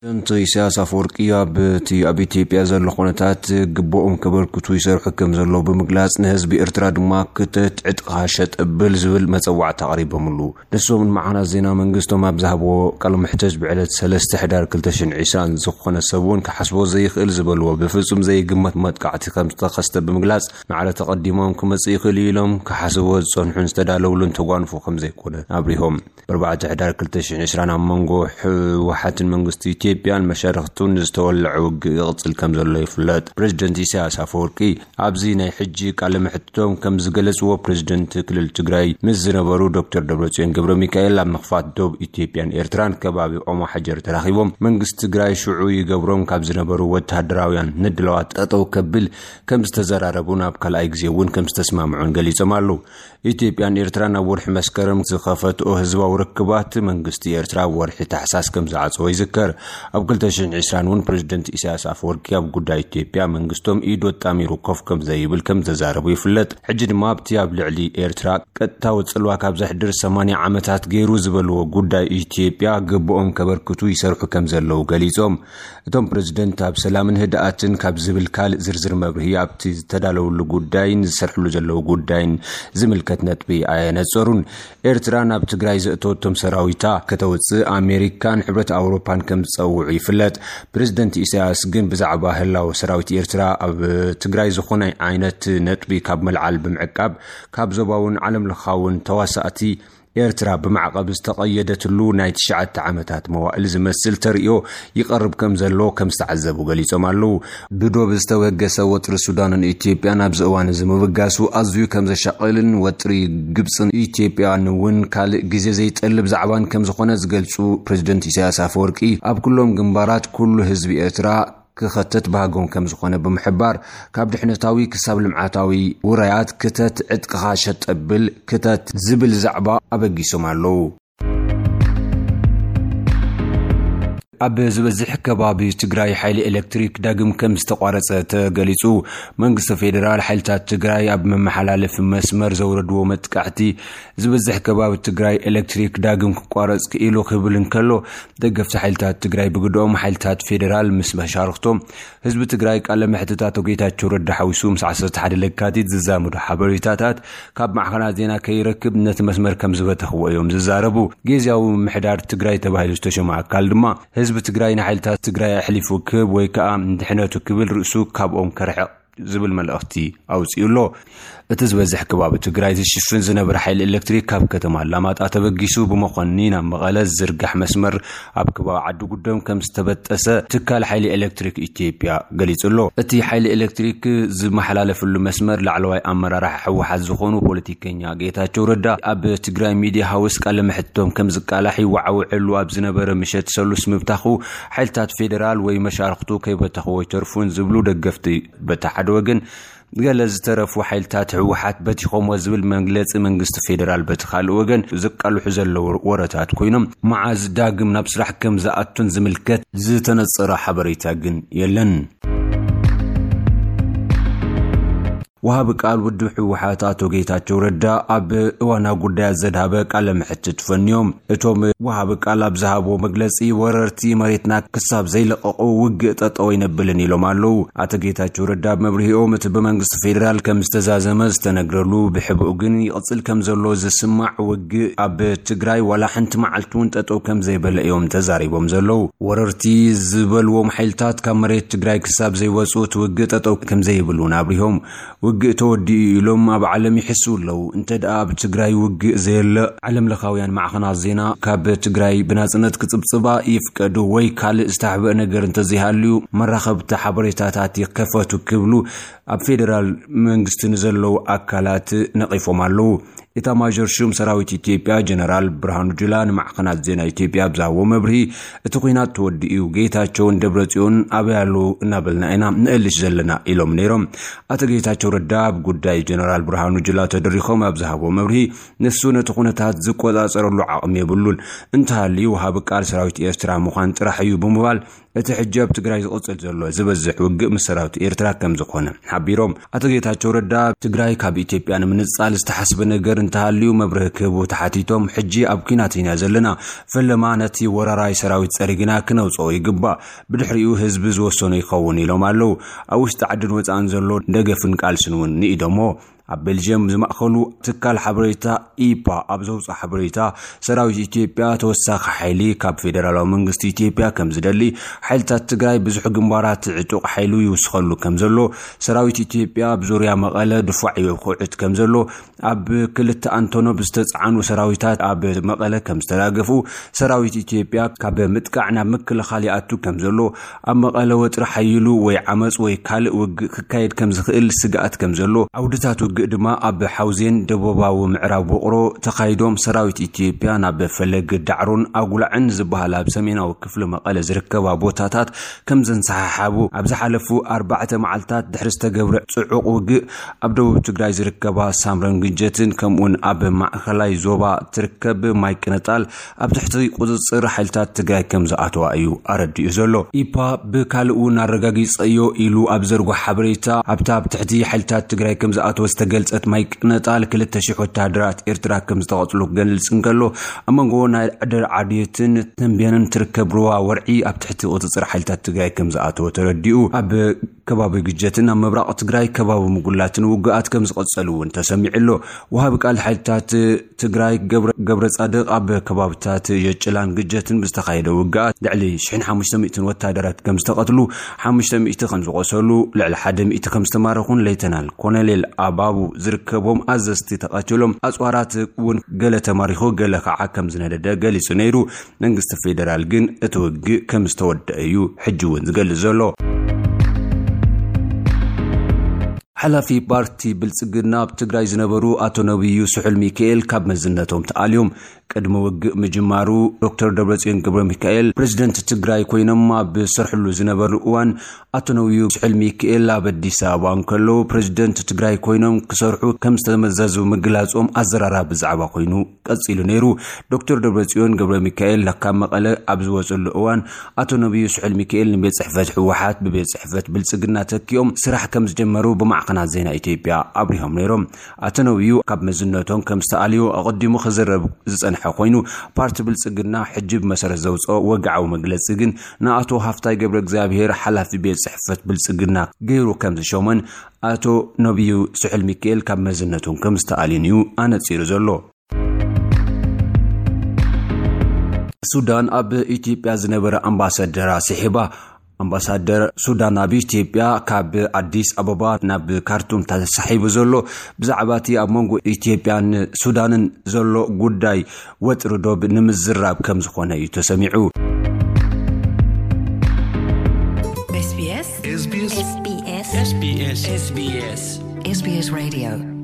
ፕሬዝደንት ኢሳያስ ኣፈወርቂ ኣብቲ ኣብ ኢትዮጵያ ዘሎ ኩነታት ግቡኦም ከበርክቱ ይሰርሑ ከም ዘለዉ ብምግላጽ፣ ንህዝቢ ኤርትራ ድማ ክተት ዕጥቕኻ ሸጥ እብል ዝብል መጸዋዕታ ኣቕሪቦምሉ። ንሶምን መዓናት ዜና መንግስቶም ኣብ ዝሃብዎ ቃለ መሕተት፣ ብዕለት ሰለስተ ሕዳር ክልተ ሽሕን ዕስራን ዝኾነ ሰብ እውን ክሓስቦ ዘይኽእል ዝበልዎ ብፍጹም ዘይግመት መጥቃዕቲ ከም ዝተኸስተ ብምግላጽ፣ ማዕረ ተቐዲሞም ክመጽእ ይኽእል እዩ ኢሎም ክሓስብዎ ዝጸንሑን ዝተዳለውሉን ተጓንፎ ከም ዘይኮነ ኣብሪሆም። ብኣርባዕተ ሕዳር ክልተ ሽሕን ዕስራን ኣብ መንጎ ህወሓትን መንግስቲ ኢትዮጵያን መሻርኽቱን ዝተወለዐ ውግእ ይቕጽል ከም ዘሎ ይፍለጥ። ፕሬዝደንት ኢሳያስ ኣፈወርቂ ኣብዚ ናይ ሕጂ ቃለ መሕትቶም ከም ዝገለጽዎ፣ ፕሬዝደንት ክልል ትግራይ ምስ ዝነበሩ ዶክተር ደብረጽዮን ገብረ ሚካኤል ኣብ ምኽፋት ዶብ ኢትዮጵያን ኤርትራን ከባቢ ኦሞ ሓጀር ተራኺቦም፣ መንግስቲ ትግራይ ሽዑ ይገብሮም ካብ ዝነበሩ ወተሃደራውያን ንድለዋት ጠጠው ከብል ከም ዝተዘራረቡን ኣብ ካልኣይ ግዜ እውን ከም ዝተስማምዑን ገሊጾም ኣለዉ። ኢትዮጵያን ኤርትራን ኣብ ወርሒ መስከረም ዝኸፈትኦ ህዝባዊ ርክባት፣ መንግስቲ ኤርትራ ኣብ ወርሒ ታሕሳስ ከም ዝዓጸዎ ይዝከር። ኣብ ክልተ ሽሕን ዕስራን እውን ፕሬዝደንት ኢሳያስ ኣፈወርቂ ኣብ ጉዳይ ኢትዮጵያ መንግስቶም ኢዱ ኣጣሚሩ ኮፍ ከም ዘይብል ከም ዝተዛረቡ ይፍለጥ። ሕጂ ድማ ኣብቲ ኣብ ልዕሊ ኤርትራ ቀጥታዊ ጽልዋ ካብ ዘሕድር ሰማንያ ዓመታት ገይሩ ዝበልዎ ጉዳይ ኢትዮጵያ ግቡኦም ከበርክቱ ይሰርሑ ከም ዘለዉ ገሊጾም። እቶም ፕሬዝደንት ኣብ ሰላምን ህድኣትን ካብ ዝብል ካልእ ዝርዝር መብርሂ ኣብቲ ዝተዳለውሉ ጉዳይን ዝሰርሕሉ ዘለዉ ጉዳይን ዝምልከት ነጥቢ ኣየነጸሩን። ኤርትራ ናብ ትግራይ ዘእተወቶም ሰራዊታ ከተውጽእ ኣሜሪካን ሕብረት ኣውሮፓን ከም ዝጸውዑ ይፍለጥ። ፕሬዝደንት ኢሳያስ ግን ብዛዕባ ህላወ ሰራዊት ኤርትራ ኣብ ትግራይ ዝኾነ ዓይነት ነጥቢ ካብ መልዓል ብምዕቃብ፣ ካብ ዞባውን ዓለም ለኻውን ተዋሳእቲ ኤርትራ ብማዕቐብ ዝተቐየደትሉ ናይ ትሽዓተ ዓመታት መዋእል ዝመስል ተርእዮ ይቐርብ ከም ዘሎ ከም ዝተዓዘቡ ገሊጾም ኣለዉ። ብዶብ ዝተበገሰ ወጥሪ ሱዳንን ኢትዮጵያን ኣብዚ እዋን እዚ ምብጋሱ ኣዝዩ ከም ዘሻቕልን ወጥሪ ግብጽን ኢትዮጵያን እውን ካልእ ግዜ ዘይጠልብ ዛዕባን ከም ዝኾነ ዝገልጹ ፕሬዝደንት ኢሳያስ ኣፈወርቂ፣ ኣብ ኩሎም ግንባራት ኩሉ ህዝቢ ኤርትራ ክኸተት ባህጎም ከም ዝኾነ ብምሕባር፣ ካብ ድሕነታዊ ክሳብ ልምዓታዊ ውራያት ክተት ዕጥቅኻ ሸጠብል ክተት ዝብል ዛዕባ ኣበጊሶም ኣለዉ። ኣብ ዝበዝሕ ከባቢ ትግራይ ሓይሊ ኤሌክትሪክ ዳግም ከም ዝተቋረጸ ተገሊጹ። መንግስቲ ፌዴራል ሓይልታት ትግራይ ኣብ መመሓላለፊ መስመር ዘውረድዎ መጥቃዕቲ ዝበዝሕ ከባቢ ትግራይ ኤሌክትሪክ ዳግም ክቋረጽ ክኢሉ ክብል እንከሎ፣ ደገፍቲ ሓይልታት ትግራይ ብግድኦም ሓይልታት ፌዴራል ምስ መሻርኽቶም ህዝቢ ትግራይ ቃለ መሕትት ኣቶ ጌታቸው ረዳ ሓዊሱ ምስ ዓሰርተ ሓደ ለካቲት ዝዛመዱ ሓበሬታታት ካብ ማዕኸናት ዜና ከይረክብ ነቲ መስመር ከም ዝበተኽዎ እዮም ዝዛረቡ። ግዝያዊ ምምሕዳር ትግራይ ተባሂሉ ዝተሸመ ኣካል ድማ ህዝቢ ትግራይ ንሓይልታት ትግራይ ኣሕሊፉ ክህብ ወይ ከዓ ንድሕነቱ ክብል ርእሱ ካብኦም ከርሕቕ ዝብል መልእኽቲ ኣውፂኡ ኣሎ። እቲ ዝበዝሕ ከባቢ ትግራይ ዝሽፍን ዝነበረ ሓይሊ ኤሌክትሪክ ካብ ከተማ ኣላማጣ ተበጊሱ ብመኾኒ ናብ መቐለ ዝዝርጋሕ መስመር ኣብ ከባቢ ዓዲ ጉደም ከም ዝተበጠሰ ትካል ሓይሊ ኤሌክትሪክ ኢትዮጵያ ገሊጹ ኣሎ። እቲ ሓይሊ ኤሌክትሪክ ዝመሓላለፈሉ መስመር ላዕለዋይ ኣመራርሓ ህወሓት ዝኾኑ ፖለቲከኛ ጌታቸው ረዳ ኣብ ትግራይ ሚድያ ሃውስ ቃለ መሕትቶም ከም ዝቃላሕ ይወዓውዐሉ ኣብ ዝነበረ ምሸት ሰሉስ ምብታኹ ሓይልታት ፌዴራል ወይ መሻርኽቱ ከይበተኽዎ ይተርፉን ዝብሉ ደገፍቲ በቲ ሓደ ወገን፣ ገለ ዝተረፉ ሓይልታት ህወሓት በቲኾሞ ዝብል መግለጺ መንግስቲ ፌዴራል በቲ ካልእ ወገን ዝቃልሑ ዘለዉ ወረታት ኮይኖም፣ መዓዝ ዳግም ናብ ስራሕ ከም ዝኣቱን ዝምልከት ዝተነጸረ ሓበሬታ ግን የለን። ወሃቢ ቃል ውድብ ህወሓት ኣቶ ጌታቸው ረዳ ኣብ እዋናዊ ጉዳያት ዘድሃበ ቃለ መሕትት ፈንዮም። እቶም ወሃቢ ቃል ኣብ ዝሃብዎ መግለጺ፣ ወረርቲ መሬትና ክሳብ ዘይለቐቑ ውግእ ጠጠው ኣይነብልን ኢሎም ኣለዉ። ኣቶ ጌታቸው ረዳ ኣብ መብርሂኦም፣ እቲ ብመንግስቲ ፌዴራል ከም ዝተዛዘመ ዝተነግረሉ፣ ብሕቡእ ግን ይቕጽል ከም ዘሎ ዝስማዕ ውግእ ኣብ ትግራይ ዋላ ሓንቲ መዓልቲ እውን ጠጠው ከም ዘይበለ እዮም ተዛሪቦም ዘለዉ። ወረርቲ ዝበልዎም ሓይልታት ካብ መሬት ትግራይ ክሳብ ዘይወፁ እቲ ውግእ ጠጠው ከም ዘይብል እውን ኣብሪሆም። ውግእ ተወዲኡ ኢሎም ኣብ ዓለም ይሕስው ኣለዉ። እንተ ደኣ ኣብ ትግራይ ውግእ ዘየለ፣ ዓለም ለኻውያን ማዕኸናት ዜና ካብ ትግራይ ብናጽነት ክጽብጽባ ይፍቀዱ ወይ ካልእ ዝተሕብአ ነገር እንተዘይሃልዩ፣ መራኸብቲ ሓበሬታታት ይከፈቱ ክብሉ ኣብ ፌዴራል መንግስቲ ንዘለዉ ኣካላት ነቒፎም ኣለዉ። ኢታማዦር ሹም ሰራዊት ኢትዮጵያ ጀነራል ብርሃኑ ጁላ ንማዕኸናት ዜና ኢትዮጵያ ኣብ ዝሃብዎ መብርሂ፣ እቲ ኲናት ተወዲኡ፣ ጌታቸውን ደብረጽዮን ኣበይ ኣለዉ እናበልና ኢና ንእልሽ ዘለና ኢሎም ነይሮም። ኣቶ ጌታቸው ረዳ ኣብ ጉዳይ ጀነራል ብርሃኑ ጁላ ተደሪኾም ኣብ ዝሃብዎ መብርሂ፣ ንሱ ነቲ ኩነታት ዝቆጻጸረሉ ዓቕሚ የብሉን፣ እንተሃልዩ ወሃቢ ቃል ሰራዊት ኤርትራ ምዃን ጥራሕ እዩ ብምባል፣ እቲ ሕጂ ኣብ ትግራይ ዝቕጽል ዘሎ ዝበዝሕ ውግእ ምስ ሰራዊት ኤርትራ ከም ዝኾነ ሓቢሮም። ኣቶ ጌታቸው ረዳ ትግራይ ካብ ኢትዮጵያ ንምንጻል ዝተሓስበ ነገር እንተሃልዩ መብርሂ ክህቡ ተሓቲቶም፣ ሕጂ ኣብ ኲናት ኢና ዘለና፣ ፈለማ ነቲ ወራራይ ሰራዊት ጸሪግና ክነውጽኦ ይግባእ፣ ብድሕሪኡ ህዝቢ ዝወሰኖ ይኸውን ኢሎም ኣለዉ። ኣብ ውሽጢ ዓድን ወጻእን ዘሎ ደገፍን ቃልስን እውን ንኢዶሞ። ኣብ ቤልጅየም ዝማእኸሉ ትካል ሓበሬታ ኢፓ ኣብ ዘውፅኦ ሓበሬታ፣ ሰራዊት ኢትዮጵያ ተወሳኺ ሓይሊ ካብ ፌደራላዊ መንግስቲ ኢትዮጵያ ከም ዝደሊ፣ ሓይልታት ትግራይ ብዙሕ ግንባራት ዕጡቕ ሓይሉ ይውስኸሉ ከም ዘሎ፣ ሰራዊት ኢትዮጵያ ኣብ ዙርያ መቐለ ድፋዕ ይኹዕት ከም ዘሎ፣ ኣብ ክልተ ኣንቶኖቭ ዝተፃዕኑ ሰራዊታት ኣብ መቐለ ከም ዝተራገፉ፣ ሰራዊት ኢትዮጵያ ካብ ምጥቃዕ ናብ ምክልኻል ይኣቱ ከም ዘሎ፣ ኣብ መቐለ ወጥሪ ሓይሉ ወይ ዓመፅ ወይ ካልእ ውግእ ክካየድ ከም ዝኽእል ስግኣት ከም ዘሎ፣ ዓውድታት ውግእ ድማ ኣብ ሓውዜን ደቡባዊ ምዕራብ ውቕሮ ተኻይዶም፣ ሰራዊት ኢትዮጵያ ናብ ፈለግ ዳዕሮን ኣጉላዕን ዝበሃል ኣብ ሰሜናዊ ክፍሊ መቐለ ዝርከባ ቦታታት ከም ዘንሰሓሓቡ፣ ኣብ ዝሓለፉ ኣርባዕተ መዓልታት ድሕሪ ዝተገብረ ጽዑቕ ውግእ ኣብ ደቡብ ትግራይ ዝርከባ ሳምረን ግጀትን ከምኡውን ኣብ ማእኸላይ ዞባ ትርከብ ማይ ቅነጣል ኣብ ትሕቲ ቁጽጽር ሓይልታት ትግራይ ከም ዝኣተዋ እዩ ኣረዲኡ ዘሎ። ኢፓ ብካልእ እውን ኣረጋጊጸዮ ኢሉ ኣብ ዘርጎ ሓበሬታ፣ ኣብታ ኣብ ትሕቲ ሓይልታት ትግራይ ከም ዝኣተወ ዝተገልጸት ማይ ቅነጣል ክልተ ሺሕ ወታደራት ኤርትራ ከም ዝተቐጽሉ ክገልጽ እንከሎ፣ ኣብ መንጎ ናይ ዕደር ዓድየትን ተንቤንን ትርከብ ሩባ ወርዒ ኣብ ትሕቲ ቁጽጽር ሓይልታት ትግራይ ከም ዝኣተወ ተረዲኡ። ኣብ ከባቢ ግጀትን ኣብ ምብራቕ ትግራይ ከባቢ ምጉላትን ውግኣት ከም ዝቐጸሉ እውን ተሰሚዑ ኣሎ። ወሃቢ ቃል ሓይልታት ትግራይ ገብረ፣ ገብረ ጻድቕ ኣብ ከባብታት የጭላን ግጀትን ብዝተኻየደ ውግኣት ልዕሊ ሽሕን ሓሙሽተ ሚእትን ወታደራት ከም ዝተቐትሉ፣ ሓሙሽተ ሚእቲ ከም ዝቖሰሉ፣ ልዕሊ ሓደ ሚእቲ ከም ዝተማረኹን ሌተናል ኮሎኔል ኣባቡ ዝርከቦም ኣዘዝቲ ተቐቲሎም፣ ኣጽዋራት እውን ገለ ተማሪኹ፣ ገለ ከዓ ከም ዝነደደ ገሊጹ ነይሩ። መንግስቲ ፌደራል ግን እቲ ውግእ ከም ዝተወደአ እዩ ሕጂ እውን ዝገልጽ ዘሎ። ሓላፊ ፓርቲ ብልጽግና ኣብ ትግራይ ዝነበሩ ኣቶ ነብዩ ስሑል ሚካኤል ካብ መዝነቶም ተኣልዮም። ቅድሚ ውግእ ምጅማሩ ዶክተር ደብረጽዮን ገብረ ሚካኤል ፕሬዝደንት ትግራይ ኮይኖም ኣብ ዝሰርሕሉ ዝነበሩ እዋን ኣቶ ነብዩ ስሑል ሚካኤል ኣብ ኣዲስ ኣበባ እንከለዉ ፕሬዝደንት ትግራይ ኮይኖም ክሰርሑ ከም ዝተመዘዙ ምግላጾም ኣዘራራቢ ዛዕባ ኮይኑ ቀጺሉ ነይሩ። ዶክተር ደብረጽዮን ገብረ ሚካኤል ካብ መቐለ ኣብ ዝወጸሉ እዋን ኣቶ ነብዩ ስሑል ሚካኤል ንቤት ጽሕፈት ህወሓት ብቤት ጽሕፈት ብልጽግና ተኪኦም ስራሕ ከም ዝጀመሩ ብማዕኸናት ዜና ኢትዮጵያ ኣብሪሆም ነይሮም። ኣቶ ነብዩ ካብ መዝነቶም ከም ዝተኣልዩ ኣቐዲሙ ክዝረብ ዝጸንሐ ኮይኑ፣ ፓርቲ ብልጽግና ሕጂ ብመሰረት ዘውጽኦ ወግዓዊ መግለጺ ግን ንኣቶ ሃፍታይ ገብረ እግዚኣብሔር ሓላፊ ቤት ጽሕፈት ብልጽግና ገይሩ ከም ዝሾመን ኣቶ ነብዩ ስሑል ሚካኤል ካብ መዝነቶም ከም ዝተኣልዩን እዩ ኣነጺሩ ዘሎ። ሱዳን ኣብ ኢትዮጵያ ዝነበረ ኣምባሳደራ ስሒባ። ኣምባሳደር ሱዳን ኣብ ኢትዮጵያ ካብ ኣዲስ ኣበባ ናብ ካርቱም ተሳሒቡ ዘሎ ብዛዕባ እቲ ኣብ መንጎ ኢትዮጵያን ሱዳንን ዘሎ ጉዳይ ወጥሪ ዶብ ንምዝራብ ከም ዝኾነ እዩ ተሰሚዑ። SBS SBS SBS SBS SBS SBS Radio